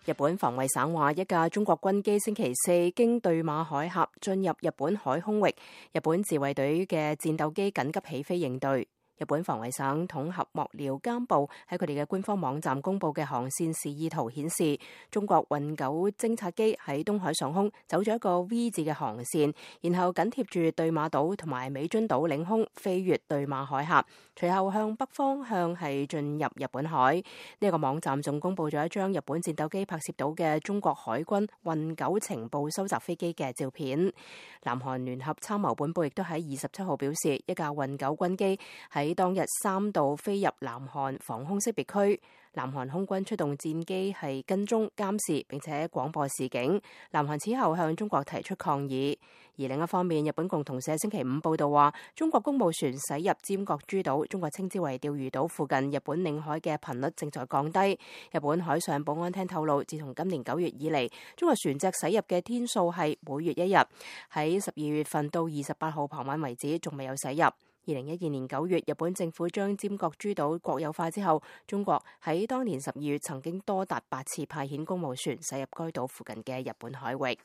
日本防衛省話，一架中國軍機星期四經對馬海峽進入日本海空域，日本自衛隊嘅戰鬥機緊急起飛應對。日本防衛省統合幕僚監部喺佢哋嘅官方網站公佈嘅航線示意圖顯示，中國運九偵察機喺東海上空走咗一個 V 字嘅航線，然後緊貼住對馬島同埋美津島領空飛越對馬海峽，隨後向北方向係進入日本海。呢個網站仲公佈咗一張日本戰鬥機拍攝到嘅中國海軍運九情報收集飛機嘅照片。南韓聯合參謀本部亦都喺27號表示，一架運九軍機喺當日3度飛入南韓防空識別區，南韓空軍出動戰機係跟蹤監視並且廣播示警。南韓此後向中國提出抗議。而另一方面，日本共同社星期5報道話，中國公務船駛入尖閣諸島，中國稱之為釣魚島附近日本領海嘅頻率正在降低。日本海上保安廳透露，自從今年9月以嚟，中國船隻駛入嘅天數係每月1日，喺12月份到28號傍晚為止，仲未有駛入。2012年9月，日本政府將尖閣諸島國有化之後，中國喺當年12月曾經多達8次派遣公務船駛入該島附近嘅日本海域。